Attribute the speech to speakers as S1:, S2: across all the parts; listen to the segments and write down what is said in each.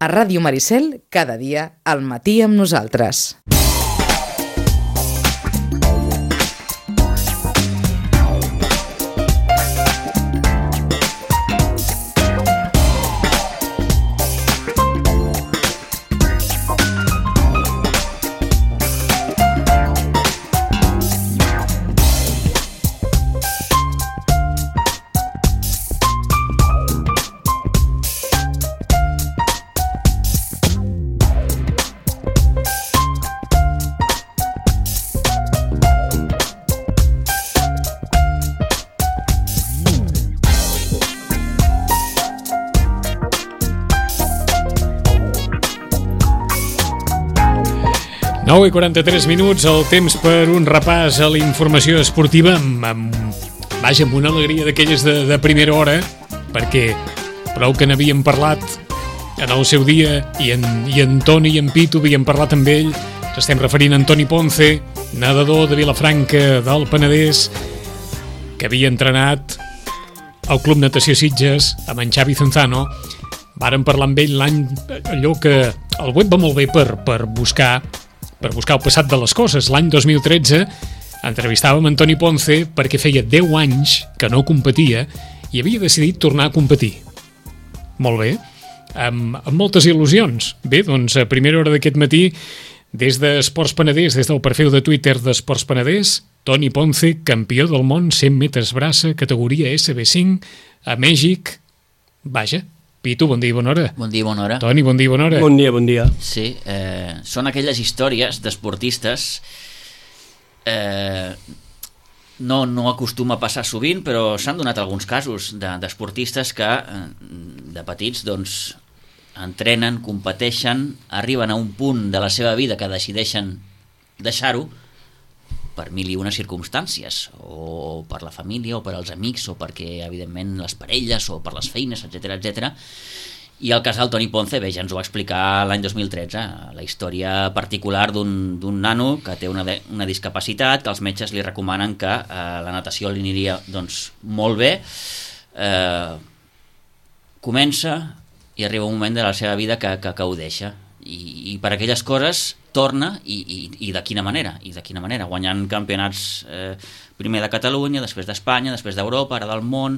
S1: A Ràdio Maricel, cada dia, al matí amb nosaltres.
S2: Nou i 43 minuts, el temps per un repàs a la informació esportiva amb una alegria d'aquelles de primera hora, perquè prou que n'havíem parlat en el seu dia i en Toni i en Pitu havíem parlat amb ell. Ens estem referint a Antoni Ponce, nedador de Vilafranca del Penedès, que havia entrenat al Club Natació Sitges amb en Xavi Zenzano. Vàrem parlar amb ell l'any allò que el web va molt bé per buscar el passat de les coses. L'any 2013 entrevistàvem Antoni Ponce perquè feia 10 anys que no competia i havia decidit tornar a competir. Molt bé, amb moltes il·lusions. Bé, doncs a primera hora d'aquest matí, des d'Esports Penedès, des del perfil de Twitter d'Esports Penedès, Toni Ponce, campió del món 100 metres braça, categoria SB5, a Mèxic. Vaja, Pitu, bon dia i bona hora.
S3: Bon dia i bona hora.
S2: Toni, bon dia i bona hora.
S4: Bon dia.
S3: Sí, són aquelles històries d'esportistes, no acostuma a passar sovint, però s'han donat alguns casos d'esportistes que de petits doncs entrenen, competeixen, arriben a un punt de la seva vida que decideixen deixar-ho per mil i una circumstàncies, o per la família, o per als amics, o perquè, evidentment, les parelles, o per les feines, etc. I el cas del Toni Ponce, bé, ja ens ho va explicar l'any 2013, la història particular d'un nano que té una discapacitat, que els metges li recomanen que la natació li aniria doncs, molt bé. Comença i arriba un moment de la seva vida que ho deixa. I per aquelles coses torna i de quina manera, guanyant campionats primer de Catalunya, després d'Espanya, després d'Europa, ara del món,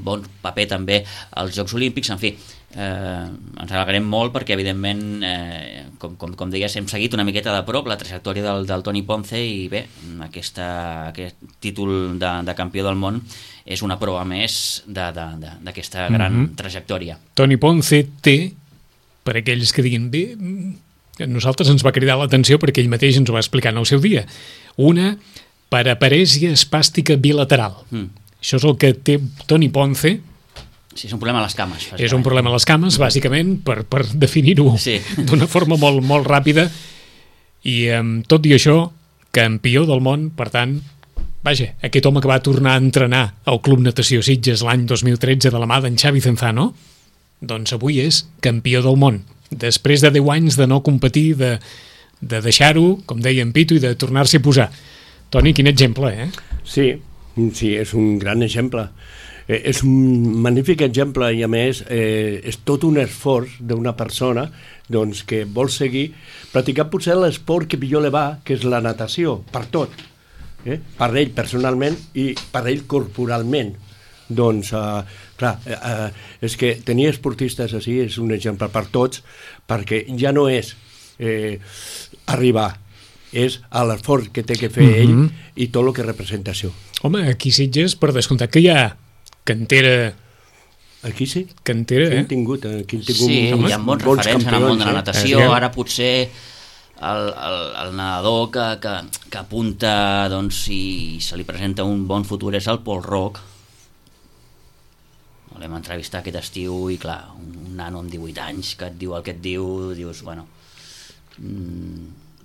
S3: bon paper també als Jocs Olímpics. En fi, ens alegrem molt perquè evidentment com deies, hem seguit una miqueta de prop la trajectòria del Toni Ponce i bé, aquest títol de campió del món és una prova més d'aquesta gran trajectòria.
S2: Toni Ponce té, per aquells que diguin bé, a nosaltres ens va cridar l'atenció perquè ell mateix ens ho va explicar en el seu dia, una paraparèsia espàstica bilateral. Això és el que té Toni Ponce.
S3: Sí, és un problema a les cames.
S2: És un problema a les cames, bàsicament, per definir-ho d'una forma molt, molt ràpida. I tot i això, campió del món, per tant, vaja, aquest home que va tornar a entrenar al Club Natació Sitges l'any 2013 de la mà d'en Xavi Zenzano, doncs avui és campió del món. Després de 10 anys de no competir, de deixar-ho, com deia en Pitu, i de tornar-s'hi a posar. Toni, quin exemple, eh?
S4: Sí, és un gran exemple. És un magnífic exemple i a més és tot un esforç d'una persona doncs, que vol seguir practicant potser l'esport que millor li va, que és la natació, per tot. Per ell personalment i per ell corporalment. Doncs, clar, és que tenir esportistes així és un exemple per tots, perquè ja no és arribar, és l'esforç que té que fer ell i tot el que representa això.
S2: Home, aquí Sitges, per descomptat que hi ha cantera...
S4: Aquí sí?
S2: Cantera,
S4: Aquí hem tingut
S3: sí, hi ha bons referents en el món de la natació. Ara potser el nedador que apunta, doncs, si se li presenta un bon futur és el Pol Roc. L'hem entrevistat aquest estiu i clar, un nano amb 18 anys que et diu el que et diu, dius, bueno,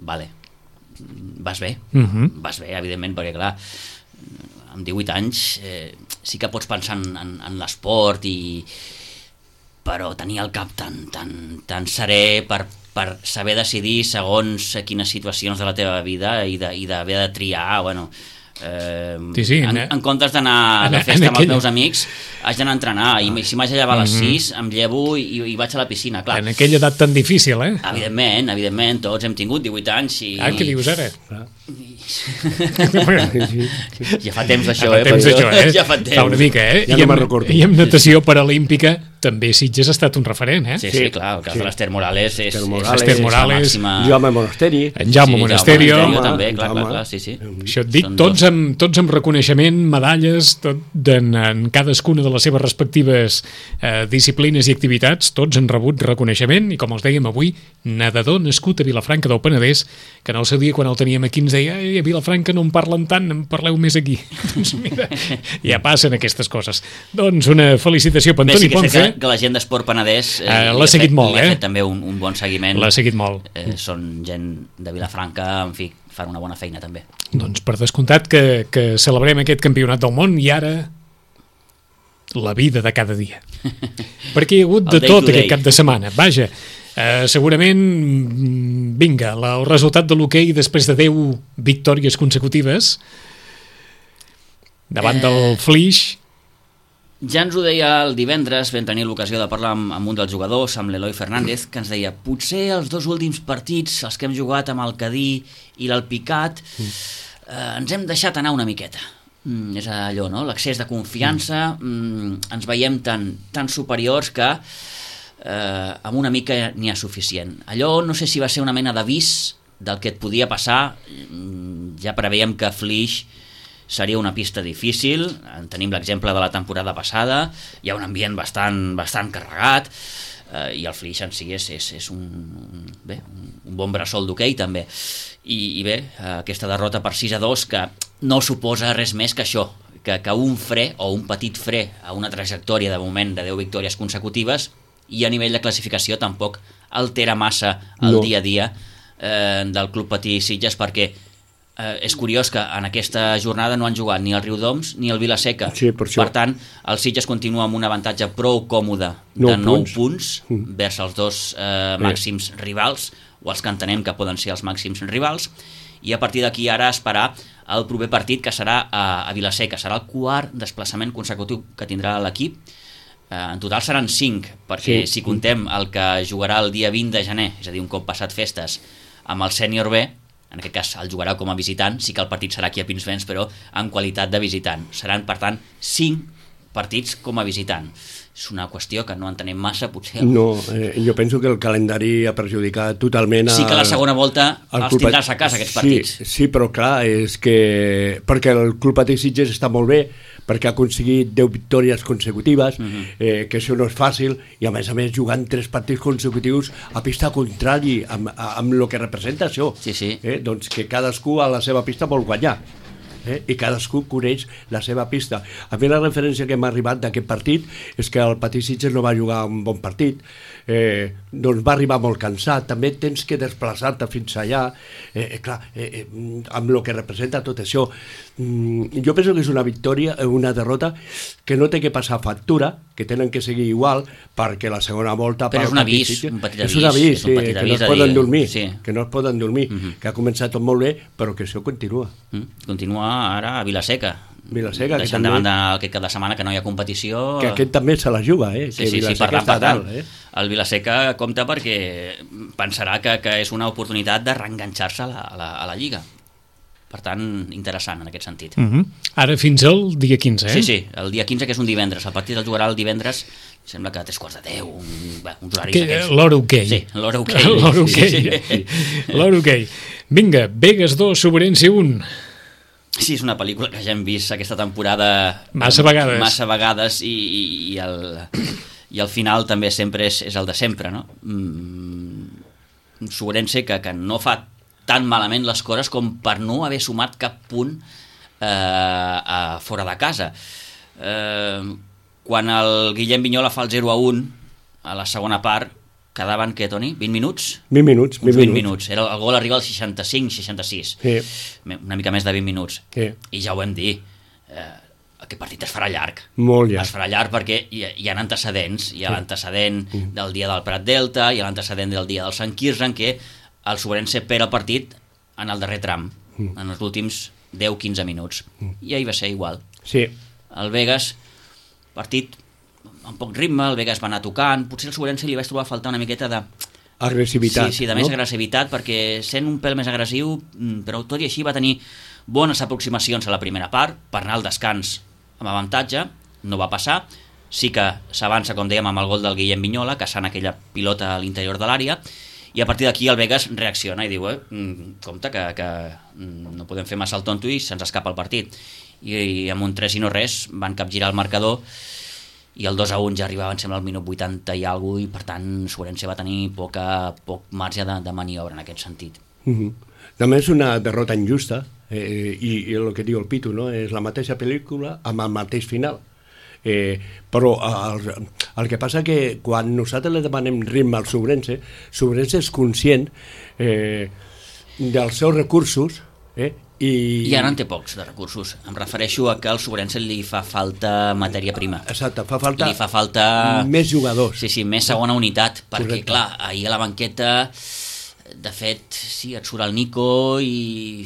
S3: vale, vas bé, evidentment, perquè clar, amb 18 anys sí que pots pensar en l'esport, però tenir el cap tan serè per saber decidir segons quines situacions de la teva vida i d'haver de triar, bueno,
S2: Sí,
S3: en comptes d'anar a la festa amb els meus amics, haig d'anar a entrenar, i si m'haig de llevar a les 6 em llevo i vaig a la piscina, clar.
S2: En aquella edat tan difícil,
S3: Evidentment, tots hem tingut 18 anys i...
S2: Què dius ara?
S3: Ja fa temps això,
S2: Ja fa temps. Fa una mica,
S4: Ja no me'n recordo.
S2: I amb natació paralímpica també Sitges ha estat un referent,
S3: Sí, clar, el cas de l'Ester Morales és
S2: l'Ester Morales,
S4: Jaume Monasteri,
S2: en Jaume Monasterio
S3: també, clar, sí.
S2: Això et dic, tots amb reconeixement, medalles, en cadascuna de les seves respectives disciplines i activitats, tots han rebut reconeixement, i com els dèiem avui, nedador nascut a Vilafranca del Penedès, que en el seu dia quan el teníem aquí ens deia, a Vilafranca no en parlen tant, en parleu més aquí. Doncs mira, ja passen aquestes coses. Doncs una felicitació per Antoni Ponce.
S3: Que la gent d'Esport Penedès
S2: l'ha seguit molt,
S3: li ha fet també un bon seguiment.
S2: L'ha seguit molt.
S3: Són gent de Vilafranca, en fi, fan una bona feina també.
S2: Doncs per descomptat que celebrem aquest campionat del món, i ara la vida de cada dia. Perquè hi ha hagut de tot aquest cap de setmana. Vaja, segurament, vinga, el resultat de l'hoquei després de 10 victòries consecutives davant del Flix.
S3: Ja ens ho deia el divendres, vam tenir l'ocasió de parlar amb un dels jugadors, amb l'Eloi Fernández, que ens deia, potser els 2 últims partits, els que hem jugat amb el Cadí i l'Alpicat, ens hem deixat anar una miqueta. És allò, no? L'accés de confiança, ens veiem tan superiors que amb una mica n'hi ha suficient. Allò no sé si va ser una mena d'avís del que et podia passar, ja preveiem que Flix seria una pista difícil, en tenim l'exemple de la temporada passada, hi ha un ambient bastant carregat, i el Flix en si és un bon bressol d'hoquei també, i bé, aquesta derrota per 6-2 que no suposa res més que això, que un fre o un petit fre a una trajectòria de moment de 10 victòries consecutives, i a nivell de classificació tampoc altera massa el dia a dia del Club Patí Sitges, perquè és curiós que en aquesta jornada no han jugat ni el Riudoms ni el Vila-seca. Per tant, el Sitges continua amb un avantatge prou còmode de 9 punts vers els 2 màxims rivals, o els que entenem que poden ser els màxims rivals, i a partir d'aquí ara esperar el proper partit, que serà a Vila-seca. Serà el 4º desplaçament consecutiu que tindrà l'equip. En total seran 5, perquè si contem el que jugarà el dia 20 de gener, és a dir, un cop passat festes, amb el sènior B, en aquest cas el jugarà com a visitant, sí que el partit serà aquí a Pinsbens, però en qualitat de visitant. Seran, per tant, 5 partits com a visitant. És una qüestió que no entenem massa, potser...
S4: No, jo penso que el calendari ha perjudicat totalment...
S3: Sí que la segona volta els tindràs a casa, aquests partits.
S4: Sí, però clar, és que... Perquè el Club Patí Sitges està molt bé, perquè ha aconseguit 10 victòries consecutives, que això no és fàcil, i a més jugant 3 partits consecutius a pista contrari, amb el que representa això. Doncs que cadascú a la seva pista vol guanyar. I cadascú coneix la seva pista. A mi la referència que m'ha arribat d'aquest partit és que el Patí Sitges no va jugar un bon partit, doncs va arribar molt cansat, també tens que desplaçar-te fins allà, clar, amb el que representa tot això. Jo penso que és una victòria, una derrota que no té que passar factura, que tenen que seguir igual, perquè la segona volta...
S3: Però és un avís, un petit avís.
S4: És un avís, que no es poden dormir, que no es poden dormir, que ha començat tot molt bé, però que això continua.
S3: Continua ara a Vila-seca,
S4: deixant
S3: davant d'aquest cap de setmana que no hi ha competició,
S4: que aquest també se la juga,
S3: per tant. El Vila-seca compta perquè pensarà que és una oportunitat de reenganxar-se a la Lliga. Per tant, interessant en aquest sentit.
S2: Ara fins al dia 15,
S3: Sí, el dia 15, que és un divendres. El partit el jugarà el divendres, sembla que a 3:45, uns horaris aquests.
S2: L'hora hoquei.
S3: Sí, l'hora hoquei.
S2: L'hora hoquei. Vinga, Begues 2, Sobrense 1.
S3: Sí, és una pel·lícula que ja hem vist aquesta temporada
S2: massa
S3: vegades i el final també sempre és el de sempre, no? Sobrense que no fa tan malament les coses com per no haver sumat cap punt fora de casa. Quan el Guillem Vinyola fa el 0-1 a la segona part, quedaven, què, Toni? 20 minuts?
S4: 20
S3: minuts. El gol arriba al 65-66. Una mica més de 20 minuts. I ja ho vam dir, aquest partit es farà llarg.
S4: Molt llarg.
S3: Es farà llarg perquè hi ha antecedents. Hi ha l'antecedent del dia del Prat Delta, hi ha l'antecedent del dia del Sant Quirze, en què el Sobrense perd el partit en el darrer tram, en els últims 10-15 minuts. I ahir va ser igual.
S4: Sí.
S3: El Vegas, partit amb poc ritme, el Vegas va anar tocant, potser el Sobrense li vaig trobar a faltar una miqueta de...
S4: Agressivitat.
S3: Sí, de més agressivitat, perquè sent un pèl més agressiu, però tot i així va tenir bones aproximacions a la primera part, per anar al descans amb avantatge, no va passar, sí que s'avança, com dèiem, amb el gol del Guillem Vignola, caçant aquella pilota a l'interior de l'àrea, i a partir d'aquí el Vegas reacciona i diu, compte que no podem fer massa el tonto i se'ns escapa el partit. I amb un 3 i no res van capgirar el marcador, i el 2-1 ja arribava, em sembla, al minut 80 i alguna cosa, i per tant Sobrense va tenir poc marge de maniobra en aquest sentit.
S4: També és una derrota injusta, i el que diu el Pitu, no? És la mateixa pel·lícula amb el mateix final. Però el que passa que quan nosaltres li demanem ritme al Sobrense és conscient dels seus recursos, i
S3: ara en té pocs de recursos. Em refereixo a que al Sobrense li fa falta matèria prima.
S4: Exacte,
S3: li fa falta
S4: més jugadors.
S3: Sí, més segona unitat, perquè
S4: correcte.
S3: clar, ahir a la banqueta de fet, sí, et surt el Nico i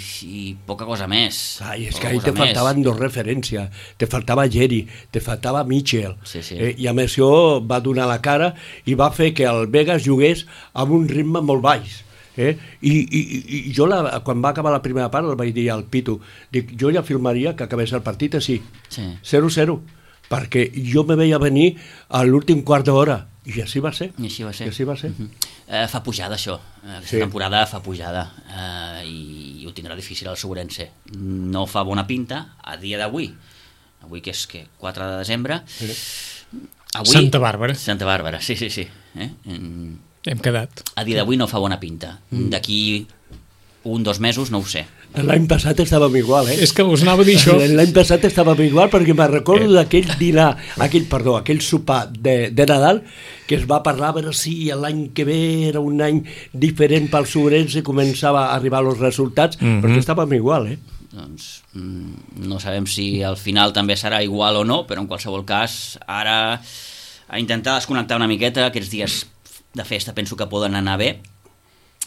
S3: poca cosa més.
S4: I és que ahir te faltaven dos referències, te faltava Geri, te faltava Mitchell,
S3: sí.
S4: I a més això va donar la cara i va fer que el Vegas jugués amb un ritme molt baix. I jo quan va acabar la primera part el vaig dir al Pitu, dic, jo ja filmaria que acabés el partit així, 0-0, perquè jo me veia venir a l'últim quart d'hora i així va ser.
S3: Fa pujada això, aquesta temporada fa pujada, i ho tindrà difícil el Sobrense. No fa bona pinta a dia d'avui que és 4 de desembre,
S2: Santa Bàrbara,
S3: sí.
S2: Hem quedat.
S3: A dia d'avui no fa bona pinta. D'aquí 1-2 mesos no ho sé.
S4: L'any passat estàvem igual,
S2: És que us anava a dir això.
S4: L'any passat estàvem igual perquè me'n recordo d'aquell dinar, aquell sopar de Nadal, que es va parlar a veure si l'any que ve era un any diferent pel Sobrense i començava a arribar els resultats, perquè estàvem igual,
S3: Doncs no sabem si al final també serà igual o no, però en qualsevol cas, ara a intentar desconnectar una miqueta, aquests dies de festa penso que poden anar bé,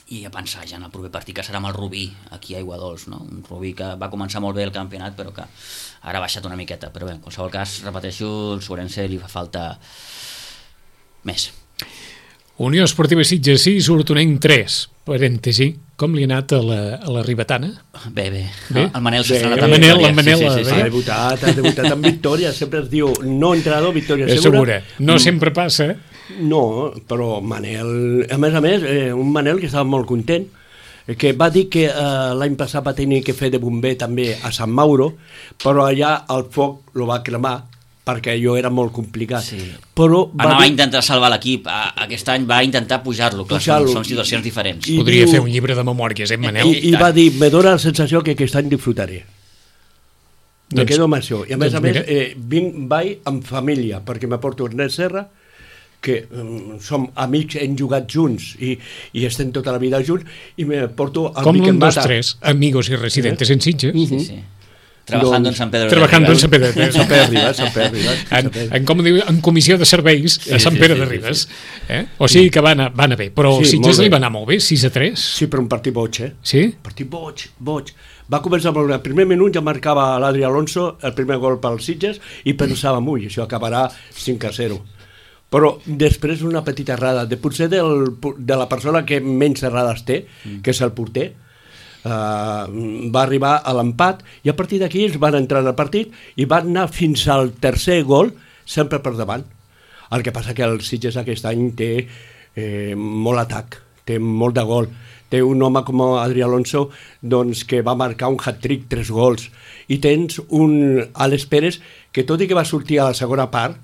S3: i a pensar ja en el proper partit que serà amb el Rubí aquí a Aiguadols, no? Un Rubí que va començar molt bé el campionat però que ara ha baixat una miqueta, però bé, en qualsevol cas, repeteixo, el Sobrense li fa falta més.
S2: Unió Esportiva Sitges 6, Hortonenc 3, parèntesi, com li ha anat a la ribetana?
S3: Bé. El Manel s'ha estrenat
S2: amb victòria.
S3: Sí.
S4: Ha debutat amb victòria, sempre es diu no entrenador, victòria segura.
S2: No sempre passa.
S4: No, però Manel, a més, un Manel que estava molt content, que va dir que l'any passat va tenir que fer de bomber també a Sant Mauro, però allà el foc lo va cremar, perquè allò era molt complicat.
S3: Sí.
S4: Però
S3: va intentar salvar l'equip, aquest any va intentar pujar-lo, clar, són situacions diferents.
S2: Podria fer un llibre de memòries, Manel?
S4: I va dir, me dóna la sensació que aquest any disfrutaré. Me quedo amb això. I a més, vaig amb família, perquè me porto Ernest Serra, que som amics, hem jugat junts i estem tota la vida junts, i me porto el
S2: Miquel Mata.
S4: Com
S2: l'1, 2, 3, amigos y residentes en Sitges.
S3: Sí. Trabajando en Sant Pere de
S2: Ribes. En comissió de serveis a Sant Pere de Ribes. O sigui que va anar bé, però Sitges li va anar molt bé, 6-3.
S4: Sí, però un partit boig,
S2: Sí?
S4: Un partit boig. Va començar amb el primer minut, ja marcava l'Adri Alonso el primer gol pel Sitges i pensàvem, això acabarà 5-0. Però després una petita errada, potser de la persona que menys errades té, que és el porter, va arribar a l'empat i a partir d'aquí ells van entrar al partit i van anar fins al tercer gol sempre per davant. El que passa que el Sitges aquest any té molt atac, té molt de gol, té un home com Adri Alonso doncs, que va marcar un hat-trick, 3 gols, i tens un Alex Pérez que tot i que va sortir a la segona part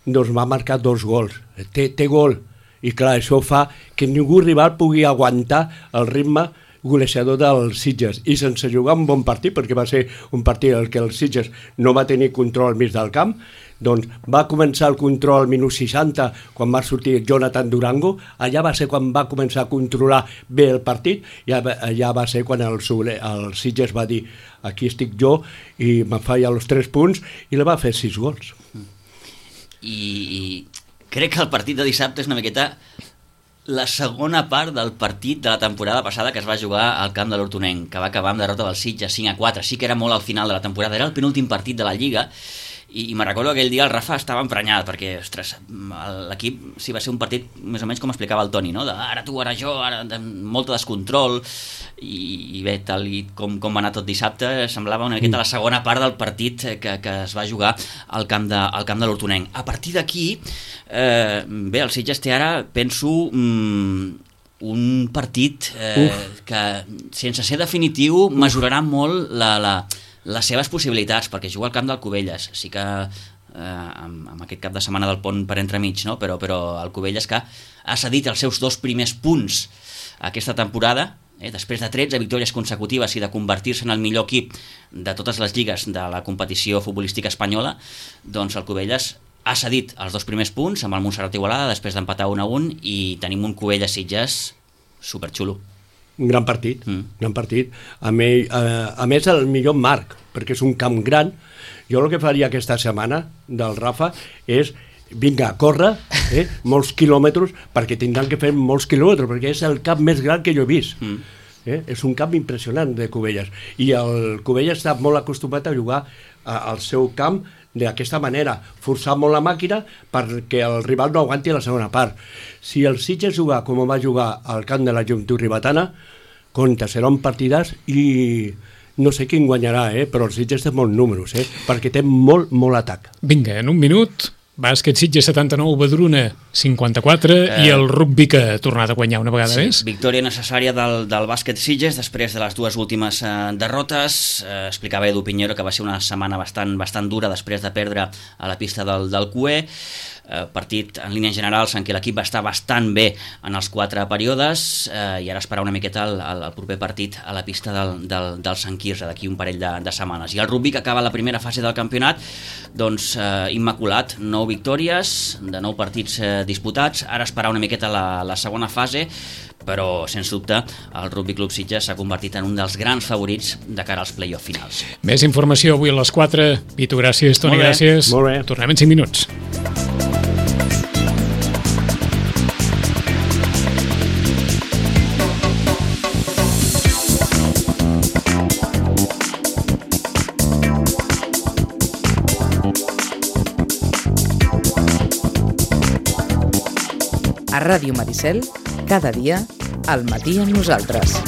S4: doncs va marcar 2 gols, té gol, i clar, això fa que ningú rival pugui aguantar el ritme golejador del Sitges, i sense jugar un bon partit, perquè va ser un partit en què el Sitges no va tenir control al mig del camp, doncs va començar el control al minut 60 quan va sortir Jonathan Durango, allà va ser quan va començar a controlar bé el partit, i allà va ser quan el Sitges va dir aquí estic jo i me falla els 3 punts i li va fer 6 gols.
S3: I crec que el partit de dissabte és una miqueta la segona part del partit de la temporada passada que es va jugar al camp de l'Hortonenc, que va acabar amb derrota del Sitges 5-4. Sí que era molt al final de la temporada, era el penúltim partit de la Lliga, i me'n recordo que aquell dia el Rafa estava emprenyat, perquè, ostres, l'equip sí va ser un partit més o menys com explicava el Toni, no? De ara tu, ara jo, ara molt descontrol, i bé, tal i com va anar tot dissabte, semblava una miqueta la segona part del partit que es va jugar al camp de l'Hortonenc. A partir d'aquí, bé, el Sitges té ara, penso, un partit que, sense ser definitiu, mesurarà molt les seves possibilitats, perquè juga al camp del Cubelles. Sí que amb aquest cap de setmana del pont per entremig, no? Però el Cubelles, que ha cedit els seus 2 primers punts aquesta temporada, després de 13 victòries consecutives i de convertir-se en el millor equip de totes les lligues de la competició futbolística espanyola, doncs el Cubelles ha cedit els 2 primers punts amb el Montserrat Igualada després d'empatar 1-1, i tenim un Cubelles-Sitges superxulo.
S4: Un gran partit, gran partit. A més, el millor marc, perquè és un camp gran. Jo el que faria aquesta setmana del Rafa és vinga, córrer molts quilòmetres, perquè tindran que fer molts quilòmetres, perquè és el camp més gran que jo he vist. És un camp impressionant de Cubelles. I el Cubelles està molt acostumat a jugar al seu camp d'aquesta manera, forçar molt la màquina perquè el rival no aguanti la segona part. Si el Sitges juga com va jugar al camp de la Joventut Ribetana, compte, serà un partidàs, i no sé quin guanyarà, però el Sitges té molts números, perquè té molt atac.
S2: Vinga, en un minut, bàsquet Sitges 79, Badruna 54, i el rugby que ha tornat a guanyar una vegada més.
S3: Victòria necessària del bàsquet Sitges després de les 2 últimes derrotes. Explicava Edu Piñero que va ser una setmana bastant dura després de perdre a la pista del CUE. Partit en línies generals en què l'equip va estar bastant bé en els 4 períodes, i ara esperar una miqueta el proper partit a la pista del Sant Quirze d'aquí un parell de setmanes. I el rugby, que acaba la primera fase del campionat, doncs immaculat, 9 victòries de 9 partits disputats. Ara esperar una miqueta la segona fase, però sens dubte el Rugby Club Sitges s'ha convertit en un dels grans favorits de cara als play-off finals.
S2: Més informació avui a les 4. Vito, gràcies. Toni, gràcies.
S4: Molt bé.
S2: Tornem en 5 minuts.
S1: A Ràdio Maricel, cada dia, al matí amb nosaltres.